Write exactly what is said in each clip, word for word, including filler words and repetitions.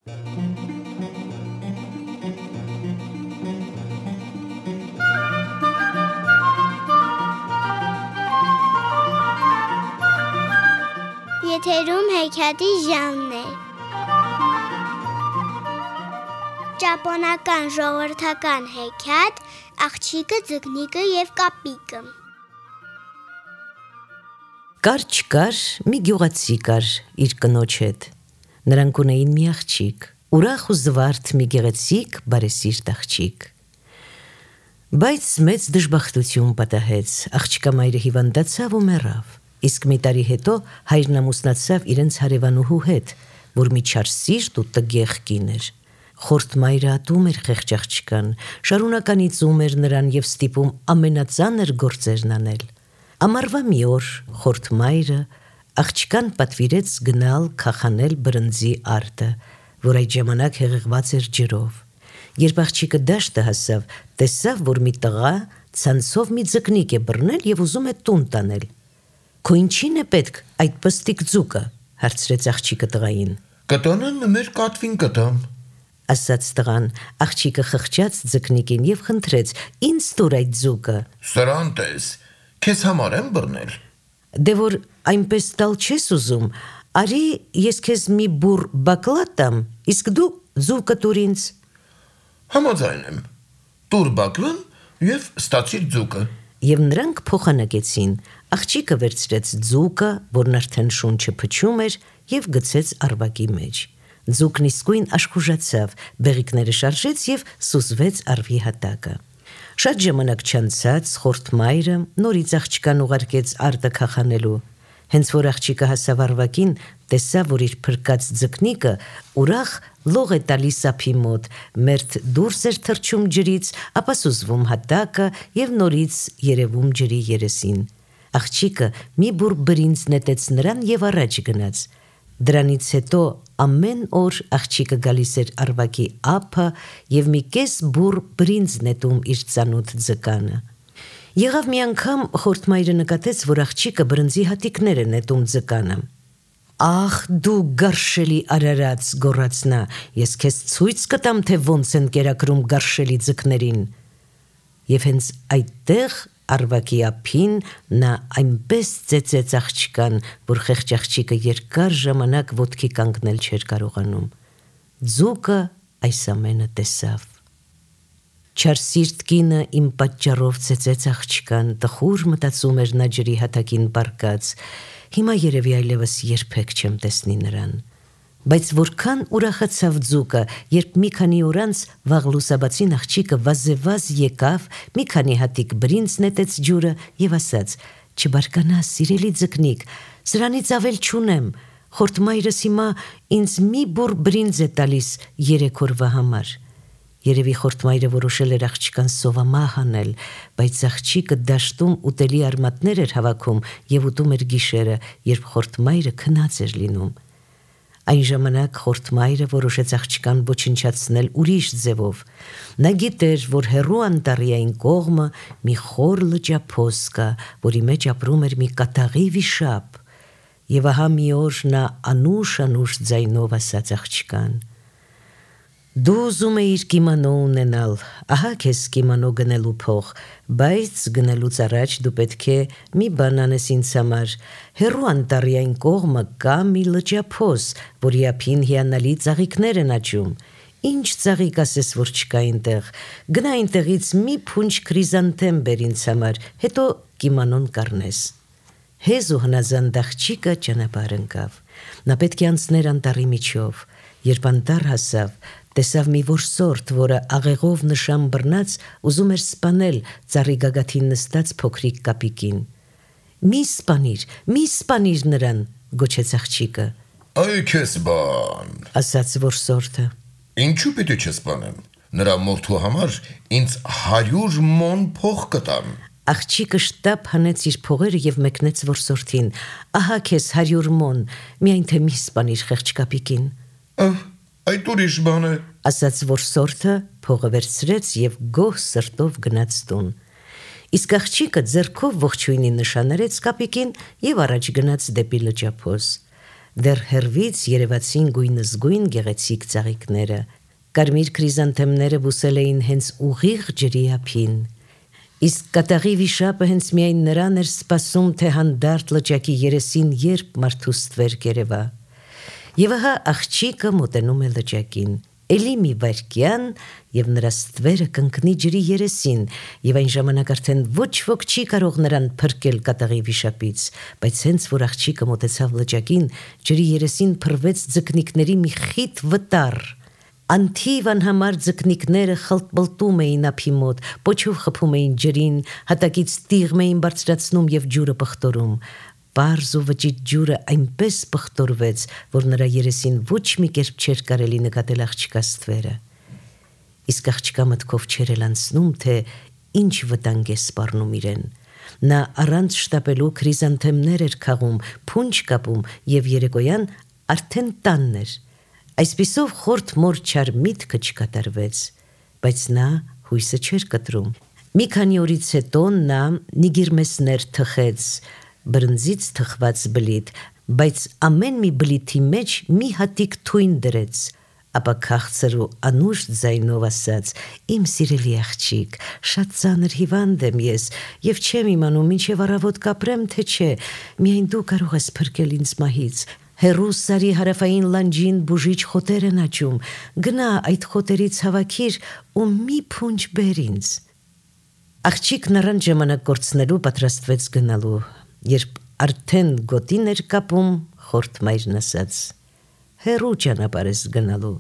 Եթերում հեքիաթի ժանրն է։ Ճապոնական ժողովրդական հեքիաթ «Աղջիկը, ձկնիկը և կապիկը»։ Կար չկար մի գյուղացի կար իր կնոջ հետ։ Նրանք ունեին մի աղջիկ, ուրախ ու զվարթ մի գեղեցիկ բարեսիրտ աղջիկ։ Բայց մեծ դժբախտություն պատահեց, աղջկա մայրը հիվանդացավ ու մեռավ։ Իսկ մի տարի հետո հայրն ամուսնացավ իրենց հարևանուհու հետ, որ մի չար սիրտ ու տգեղ կին էր։ Խորթ մայրը ատում էր խեղճ աղջկան, շարունականից ուզում էր նրան և ստիպում ամենածանր գործերն անել։ Ամառվա մի օր խորթ մայրը աղջկան պատվիրեց գնալ քախանել բրնձի արտը, որ այդ ժամանակ հեղեղված էր ջրով։ Երբ աղջիկը դաշտը հասավ, տեսավ, որ մի տղա ցանցով մի ձկնիկ է բռնել և ուզում է տուն տանել։ «Քո ինչին է պետք այդ պստիկ ձուկը», հարցրեց աղջիկը տղային։ «Կտանեմ մեր կատվին կտամ», ասաց տղան։ Աղջիկը խղճաց ձկնիկին և խնդրեց. «Ինձ տուր այդ ձուկը»։ «Սրան տես, քեզ համար եմ բռնել»։ «Դե որ այնպես տալ չես ուզում, արի ես քեզ մի բուռ բակլա տամ, իսկ դու ձուկը տուր ինձ»։ «Համաձայն եմ, տուր բակլան և ստացիր ձուկը»։ Եվ նրանք փոխանակեցին։ Աղջիկը վերցրեց ձուկը, որն արդեն շունչը փչում էր, և գցեց առվակի մեջ։ Ձուկն իսկույն աշխուժացավ, բեղիկները շարժեց և սուզվեց առվի հատակը։ Շատ ժամանակ չանցած խորթ մայրը նորից աղջկան ուղարկեց արտը քախանելու։ Հենց որ աղջիկը հասավ առվակին, տեսավ, որ իր փրկած ձկնիկը ուրախ լող է տալիս ափի մոտ, մերթ դուրս էր թռչում ջրից, ապա սուզվում հատակը և նորից երևում ջրի երեսին։ Աղջիկը մի բուռ բրինձ նետեց նրան և առաջ գնաց։ Դրանից հետո ամեն օր աղջիկը գալիս էր առվակի ափը և մի կես բուռ բրինձ նետում իր ծանոթ ձկանը։ Եղավ մի անգամ խորթ մայրը նկատեց, որ աղջիկը բրնձի հատիկներ է նետում ձկանը։ «Ախ դու գարշելի արարած», գոռաց նա, «ես քեզ ցույց կտամ, թե ոնց են կերակրում գարշելի ձկներին»։ Եվ հենց այդտեղ առվակի ափին նա այնպես ծեծեց աղջկան, որ խեղճ աղջիկը երկար ժամանակ ոտքի կանգնել չէր կարողանում։ Ձուկը այս ամենը տեսավ։ Չարսիրտ կինը իմ պատճառով ծեծեց աղջկան, տխուր մտածում էր նա ջրի հատակին պառկած, հիմա երևի այլևս երբեք չեմ տեսնի նրան։ Բայց որքան ուրախացավ ձուկը, երբ մի քանի օր անց վաղ լուսաբացին աղջիկը վազեվազ եկավ, մի քանի հատիկ բրինձ նետեց ջուրը և ասաց. «Չբարկանաս, սիրելի ձկնիկ, սրանից ավել չունեմ, խորթ մայրս հիմա ինձ մի բուռ բրինձ է տալիս երեք օրվա համար»։ Երևի խորթ մայրը որոշել էր աղջկան սովամահ անել, բայց աղջիկը դաշտում ուտելի արմատներ էր հավաքում և ուտում էր գիշերը, երբ խորթ մայրը քնած էր լինում։ Այն ժամանակ խորթ մայրը որոշեց աղջկան ոչնչացնել ուրիշ ձևով։ Նա գիտեր, որ հեռու անտառի կողմը մի խոր լճափոս կա, որի մեջ ապրում էր մի կատաղի վիշապ։ Եվ ահա մի օր նա անուշ-անուշ ձայնով ասաց աղջկան. «Դու ուզում էիր կիմանո ունենալ, ահա քեզ կիմանո գնելու փող, բայց գնելուց առաջ դու պետք է մի բան անես ինձ համար։ Հեռու անտառի այն կողմը կա մի լճափոս, որի ափին հիանալի ծաղիկներ են աճում։ Ինչ ծաղիկ ասես, որ չկա այնտեղ։ Գնա այնտեղից մի փունջ քրիզանթեմ բեր ինձ համար, հետո կիմանոն կառնես»։ Հեզ ու հնազանդ աղջիկը ճանապարհ ընկավ։ Նա պետք է անցներ անտառի միջով։ Երբ անտառ հասավ, տեսավ մի որսորդ, որը աղեղով նշան բռնած ուզում էր սպանել ծառի գագաթին նստած փոքրիկ կապիկին։ «Մի սպանիր, մի սպանիր նրան», գոչեց աղջիկը։ «Այ քեզ բան», ասաց որսորդը։ «Ինչու պիտի չսպանեմ, նրա մորթու համար ինձ հարյուր մոն փող կտան»։ Աղջիկը շտապ հանեց իր փողերը և մեկնեց որսորդին։ «Ահա քեզ հարյուր մոն, միայն թե մի սպանիր խեղճ կապիկին»։ «Այդ ուրիշ բան է», ասաց որսորդը, փողը վերցրեց և գոհ սրտով գնաց տուն։ Իսկ աղջիկը ձեռքով ողջույնի նշան արեց կապիկին և առաջ գնաց դեպի լճափոս։ դեռ հեռվից երևացին գույնզգույն գեղեցիկ ծաղիկները։ Կարմիր քրիզանթեմները բուսել էին հենց ուղիղ ջրի ափին։ Իսկ կատաղի վիշապը հենց միայն նրան էր սպասում, թե հանդարտ լճակի երեսին երբ մարդու ստվեր կերևա։ Եվ ահա աղջիկը մոտենում է լճակին։ Էլի մի վայրկյան, եւ նրա ստվերը կընկնի ջրի երեսին, եւ այն ժամանակ արդեն ոչ ոք չի կարող նրան փրկել կատաղի վիշապից, բայց հենց որ աղջիկը մոտեցավ լճակին, ջրի երեսին փռվեց ձկնիկների մի խիտ վտար։ Անթիվ անհամար ձկնիկները խլտբլտում էին ափի մոտ, պոչով խփում էին ջրին, հատակից տիղմ էին բարձրացնում եւ ջուրը պղտորում։ Պարզ ու վճիտ ջուրը այնպես պղտորվեց, որ նրա երեսին ոչ մի կերպ չէր կարելի նկատել աղջկա ստվերը։ Իսկ աղջկա մտքով չէր էլ անցնում, թե ինչ վտանգ է սպառնում իրեն։ Նա առանց շտապելու քրիզանթեմներ էր քաղում, փունջ կապում եւ երեկոյան արդեն տանն էր։ Այսպիսով խորթ մոր չար միտքը չկատարվեց, բայց նա հույսը չէր կտրում։ Մի քանի օրից հետո նա նիգիրմեսներ թխեց, բրնձից թխված բլիթ, բայց ամեն մի բլիթի մեջ մի հատիկ թույն դրեց, ապա քաղցր ու անուշ ձայնով ասաց. «Իմ սիրելի աղջիկ, շատ ծանր հիվանդ եմ ես, եւ չեմ իմանում ինչեւ առավոտ կապրեմ, թե չէ, միայն դու կարող ես փրկել ինձ մահից։ Հերու սարի հարավային լանջին բուժիչ խոտեր են աճում, գնա այդ խոտերից հավաքիր ու մի փունջ բեր ինձ»։ Աղջիկն առանց ժամանակ կորցնելու պատրաստվեց գնալու, երբ արդեն գոտին էր կապում, խորթ մայրն ասաց. «Հերու ճանապարհ ես գնալու,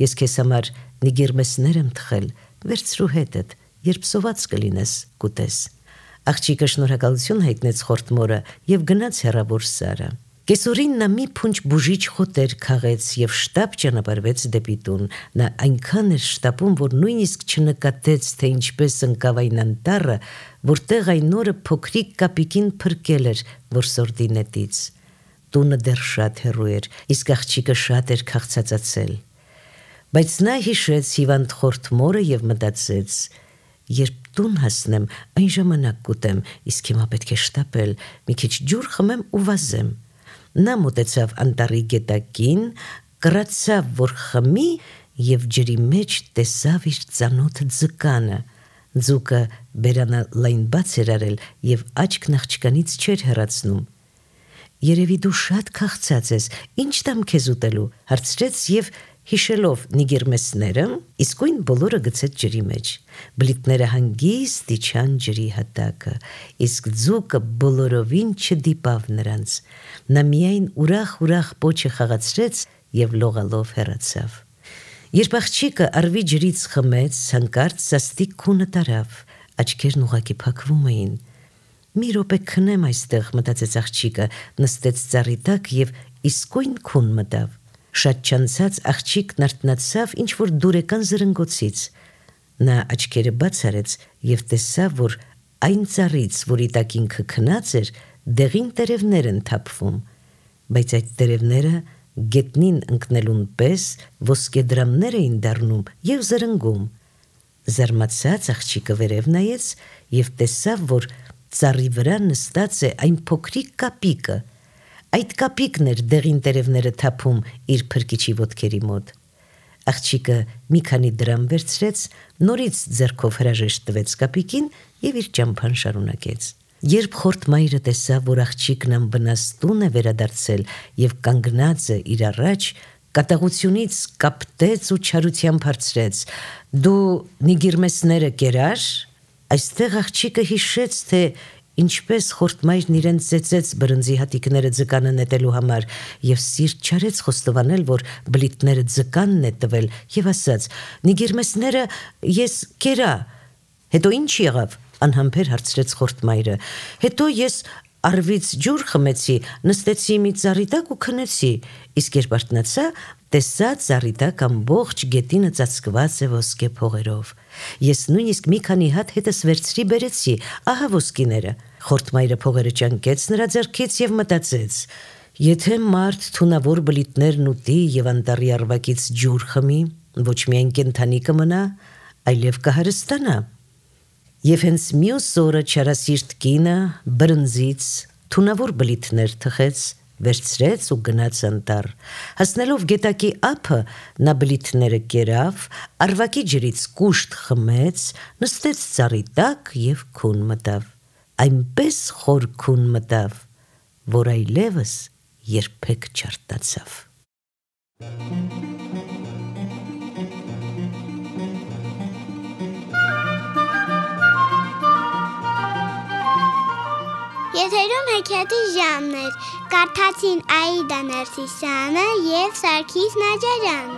ես քեզ համար նիգիրմեսներ եմ թխել, վերցրու հետդ, երբ սոված կլինես, կուտես»։ Աղջիկը շնորհակալություն հայտնեց խորթ մորը եւ գնաց հեռավոր սարը։ Կեսօրին նա մի փունջ բուժիչ խոտեր քաղեց եւ շտապ ճանապարհվեց դեպի տուն։ Նա այնքան էր շտապում, որ նույնիսկ չնկատեց, թե ինչպես ընկավ այն անտառը, որտեղ այն օրը փոքրիկ կապիկին փրկել էր որսորդի նետից։ Տունը դեռ շատ հեռու էր, իսկ աղջիկը շատ էր քաղցածացել։ Բայց նա հիշեց հիվանդ խորթ մորը եւ մտածեց. «Երբ տուն հասնեմ, այն ժամանակ կուտեմ, իսկ հիմա պետք է շտապել, մի քիչ ջուր խմեմ ու վազեմ»։ Նա մոտեցավ անտառի գետակին, կռացավ, որ խմի եւ ջրի մեջ տեսավ իր ծանոթ ձկանը։ Ձուկը բերանը լայն բաց էր արել եւ աչքն աղջկանից չէր հեռացնում։ «Երևի դու շատ քաղցած ես, ինչ տամ քեզ ուտելու», հարցրեց եւ հիշելով նիգիրմեսները, իսկույն բոլորը գցեց ջրի մեջ։ Բլիթները հանգիստ իջան ջրի հատակը, իսկ ձուկը բոլորովին չդիպավ նրանց։ Նա միայն ուրախ-ուրախ պոչը խաղացրեց եւ լողալով հեռացավ։ Երբ աղջիկը արվի ջրից խմեց, հանկարծ սաստիկ քունը տարավ, աչքերն ուղակի փակվում էին։ «Մի րոպե քնեմ այստեղ», մտածեց աղջիկը, նստեց ծառի տակ եւ իսկույն քուն մտավ։ Շատ չանցած աղջիկն արթնացավ ինչ-որ դուրեկան զրնգոցից։ Նա աչքերը բաց արեց եւ տեսավ, որ այն ծառից, որի տակ ինքը քնած էր, դեղին տերևներ են թափվում, բայց այդ տերևները գետնին ընկնելուն պես ոսկեդրամներ էին դառնում եւ զրնգում։ Զարմացած աղջիկը վերև նայեց եւ տեսավ, որ ծառի վրա նստած է այն փոքրիկ կապիկը։ Այդ կապիկն էր դեղին տերևները թափում իր փրկիչի ոտքերի մոտ։ Աղջիկը մի քանի դրամ վերցրեց, նորից ձեռքով հրաժեշտ տվեց կապիկին եւ իր ճամփան շարունակեց։ Երբ խորթ մայրը տեսավ, որ աղջիկն անվնաս տուն է վերադարձել եւ կանգնած է իր առաջ, կատաղությունից կապտեց ու չարությամբ հարցրեց. «Դու նիգիրմեսները կերար»։ Այստեղ աղջիկը հիշեց, թե ինչպես խորթ մայրն իրեն ծեծեց բրնձի հատիկները ձկանը նետելու համար եւ սիրտ չարեց խոստովանել, որ բլիթները ձկանն է տվել եւ ասաց. «Նիգիրմեսները ես կերա»։ «Հետո ինչ եղավ»։ Անհամբեր հարցրեց խորթ մայրը։ «Հետո ես արվից ջուր խմեցի, նստեցի մի ծառի տակ ու քնեցի, իսկ երբ արթնացա, տեսա ծառի տակ ամբողջ գետինը ծածկված է ոսկե փողերով։ Ես նույնիսկ մի քանի հատ հետս վերցրի բերեցի, ահա ոսկիները»։ Խորթ մայրը փողերը ճանկեց նրա ձեռքից եւ մտածեց. «Եթե մարդ թունավոր բլիթներն ուտի եւ անտառի արվակից ջուր խմի, ոչ միայն կենդանի կմնա, այլև կհարստանա»։ Եվ հենց մյուս օրը չարասիրտ կինը բրնձից թունավոր բլիթներ թխեց, վերցրեց ու գնաց անտառ։ Հասնելով գետակի ափը, նա բլիթները կերավ, արվակի ջրից կուշտ խմեց, նստեց ծառի տակ և քուն մտավ։ Այնպես խոր քուն մտավ, որ այլևս երբեք չարթնացավ։ Եթերում հեքիաթի ժամն էր, կարդացին Աիդա Ներսիսյանը և Սարգիս Նաջարյանը։